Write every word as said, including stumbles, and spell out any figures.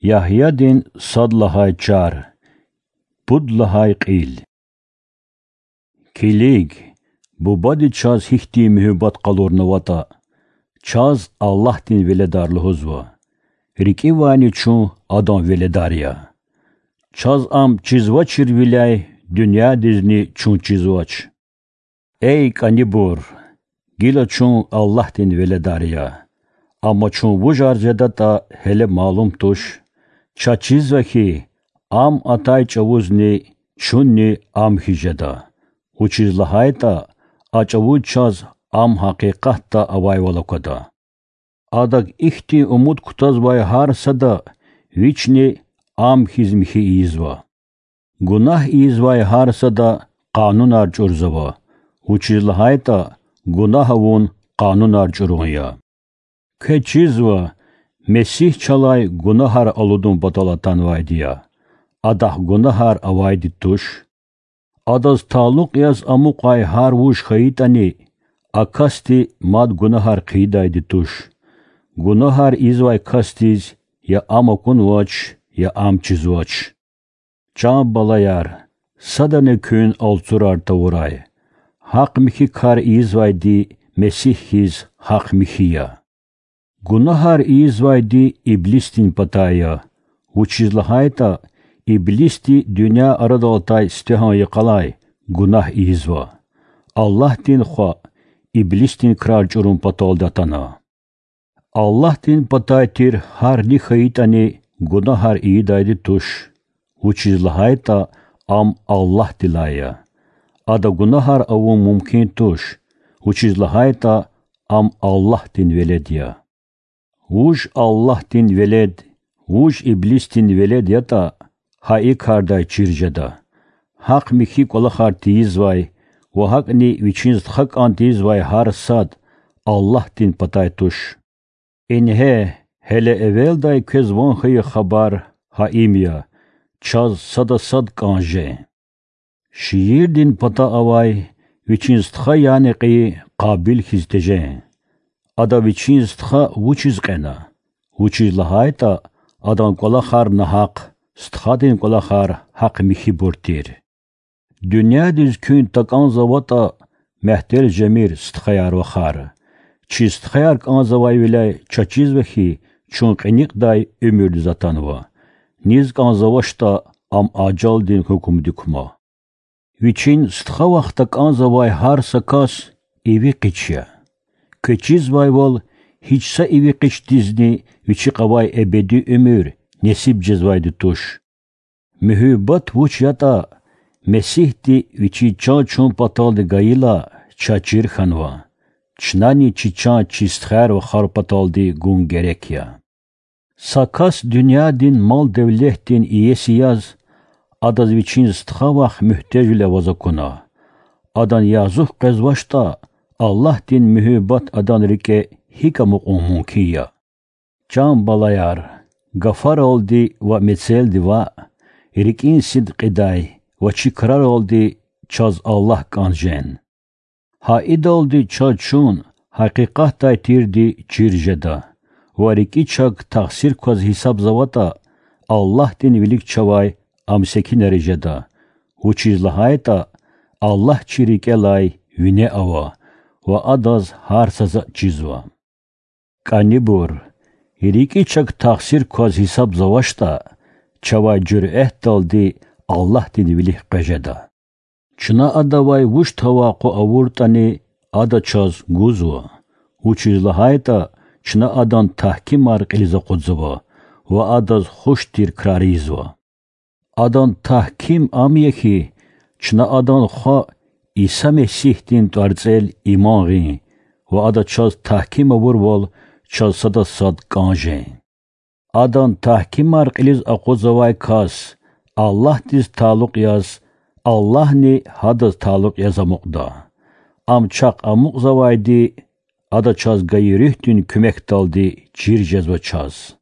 Ягьядин сад лагьай чар. Пуд лагьай кьил. Килиг, Бубади чаз гьихьтин муьгьуьббат къалурнаватӀа, чаз Аллагьдин веледар лугьузва. РикӀивайни чун Адан веледар я. Чаз Ам чизвачирвиляй дуьньядизни чун чизвач. Эй кӀанибур, гила чун Аллагьдин веледар я. Амма чун вужар жедатӀа гьеле малум туш. Чаз чизва хьи, Ам атай чӀавузни чунни Ам хьиз жеда, вучиз лагьайтӀа а чӀавуз чаз Ам гьакъикъатда авайвал аквада. Адак ихьтин умуд кутазвай гьар сада Вични Ам хьиз михьи ийизва. Гунагь ийизвай гьар сада къанунар чӀурзава, вучиз лагьайтӀа гунагь авун къанунар чӀурун я. Квез чизва, Месигь чалай гунагьар алудун патал атанвайди я, Адахъ гунагьар авайди туш. Адаз талукь яз амукьай гьар вуж хьайитӀани, а касди мад гунагьар хъийидайди туш. Гунагьар ийизвай касдиз я Ам акунвач, я Ам чизвач. Чан балаяр, садани куьн алцурар тавурай. Гьахъ-михьи кар ийизвайди Месигь хьиз гьахъ-михьи я. Гунагьар ийизвайди иблисдин патай я, вучиз лагьайтӀа иблисди дуьнья арадал атай сифтегьан йикъалай гунагь ийизва, Аллагьдин Хва иблисдин крар чӀурун паталди атана. Аллагьдин патай тир гьар ни хьайитӀани гунагьар ийидайди туш, вучиз лагьайтӀа ам Аллагьдилай я. Ада гунагьар авун мумкин туш, вучиз лагьайтӀа ам Аллагьдин велед я. Вуж Аллагьдин велед, вуж иблисдин велед ятӀа, гьа и кардай чир жеда: гьахъ-михьи кӀвалахар тийизвай ва гьакӀни вичин стха кӀан тийизвай гьар сад Аллагьдин патай туш. Ингье, гьеле эвелдай квез ван хьайи хабар гьа им я: чаз сада сад кӀан жен. Шиирдин пата авай вичин стха, яни кьейи Къабил хьиз тежен. Ада вичин стха вучиз кьена? Вучиз лагьайтӀа адан кӀвалахар нагьахъ, стхадин кӀвалахар гьахъ-михьибур тир. Дуьньядиз куьн такӀанзаватӀа, мягьтел жемир, стхаяр-вахар. Чи стхаяр кӀанзавайвиляй чаз чизва хьи, чун кьиникьдай уьмуьрдиз атанва. Низ кӀанзавачтӀа, ам ажалдин гьукумдик кума. Вичин стха-вах такӀанзавай гьар са кас иви къич я. Квез чизвайвал, гьич са иви къичдизни вичихъ авай эбеди уьмуьр несиб жезвайди туш. Муьгьуьббат вуч ятӀа, Месигьди Вичиз чан чун паталди гайила, чаз чир хьанва. Чнани чи чан чи стхаяр-вахар паталди гун герек я. Са кас дуьньядин мал-девлетдин иеси яз, адаз вичин стха-вах муьгьтежвиле аваз акуна. Адан язух къвезвачтӀа, Аллагьдин муьгьуьббат адан рикӀе гьикӀ амукьун мумкин я? Чан балаяр, гафаралди ва мецелди ваъ, рикӀин сидкьидай ва чи краралди чаз Аллагь кӀан жен. Гьа идалди чаз чун гьакъикъатдай тирди чир жеда ва рикӀи чак тахсир кваз гьисабзаватӀа, Аллагьдин вилик чавай ам секинара жеда, вучиз лагьайтӀа Аллагь чи рикӀелай вине ава ва Адаз гьар са затӀ чизва. КӀанибур, рикӀи чак тахсир кваз гьисабзавачтӀа, чавай жуьрэтдалди Аллагьдин вилик къвез жеда. Чна Адавай вуч тавакъу авуртӀани, Ада чаз гузва, вучиз лагьайтӀа чна Адан тагькимар кьилиз акъудзава ва Адаз хуш тир крар ийизва. Адан тагьким ам я хьи, чна Адан Хва Иса Месигьдин ТӀварцӀел иман гъин ва Ада чаз тагьким авурвал, чаз сада сад кӀан жен. Адан тагькимар кьилиз акъудзавай кас Аллагьдиз талукь яз, Аллагьни гьадаз талукь яз амукьда. Ам чахъ амукьзавайди Ада чаз гайи Руьгьдин куьмекдалди чир жезва чаз.